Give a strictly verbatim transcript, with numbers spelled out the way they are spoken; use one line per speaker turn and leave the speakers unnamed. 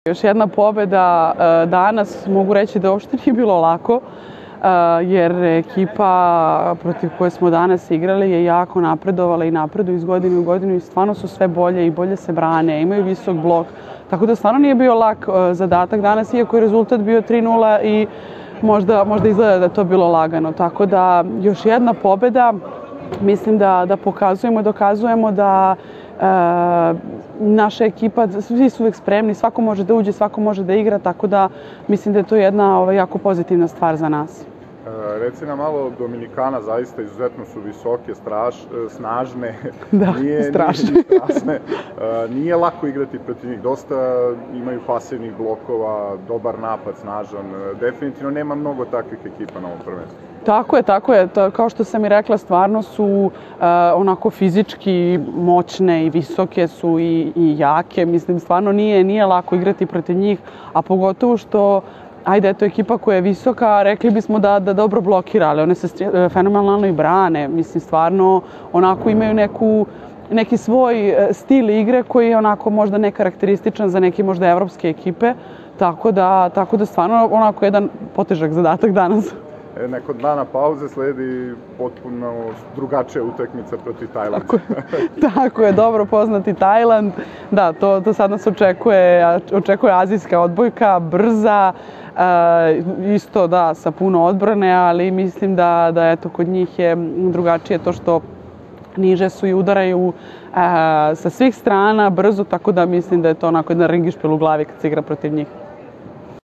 Još jedna pobeda danas, mogu reći da uopšte nije bilo lako, jer ekipa protiv koje smo danas igrali je jako napredovala i napreduju iz godine u godinu i stvarno su sve bolje i bolje se brane, imaju visok blok, tako da stvarno nije bio lak zadatak danas, iako je rezultat bio tri nula i možda, možda izgleda da je to bilo lagano, tako da još jedna pobeda, mislim da, da pokazujemo, dokazujemo da e, naša ekipa, svi su uvijek spremni, svako može da uđe, svako može da igra, tako da mislim da je to jedna ovaj, jako pozitivna stvar za nas.
E, reci nam malo, Dominikana zaista izuzetno su visoke, straš, snažne,
da,
nije,
strašne.
Nije, strasne. E, nije lako igrati protiv njih, dosta imaju pasivnih blokova, dobar napad, snažan, definitivno nema mnogo takvih ekipa na ovom prvenstvu.
Tako je, tako je. Kao što sam i rekla, stvarno su uh, onako fizički moćne i visoke su i, i jake. Mislim, stvarno nije, nije lako igrati protiv njih, a pogotovo što, ajde, eto, ekipa koja je visoka, rekli bismo da, da dobro blokira, ali one se fenomenalno i brane. Mislim, stvarno onako imaju neku, neki svoj stil igre koji je onako možda nekarakterističan za neke možda evropske ekipe. Tako da, tako da stvarno onako jedan potežak zadatak danas.
Nakon dana pauze sledi potpuno drugačija utakmica protiv Tajlanda.
Tako, tako je, dobro poznati Tajland. Da, to, to sad nas očekuje, očekuje azijska odbojka, brza, e, isto da, sa puno odbrane, ali mislim da, da eto, kod njih je drugačije to što niže su i udaraju e, sa svih strana, brzo, tako da mislim da je to onako jedan ringišpil u glavi kad se igra protiv njih.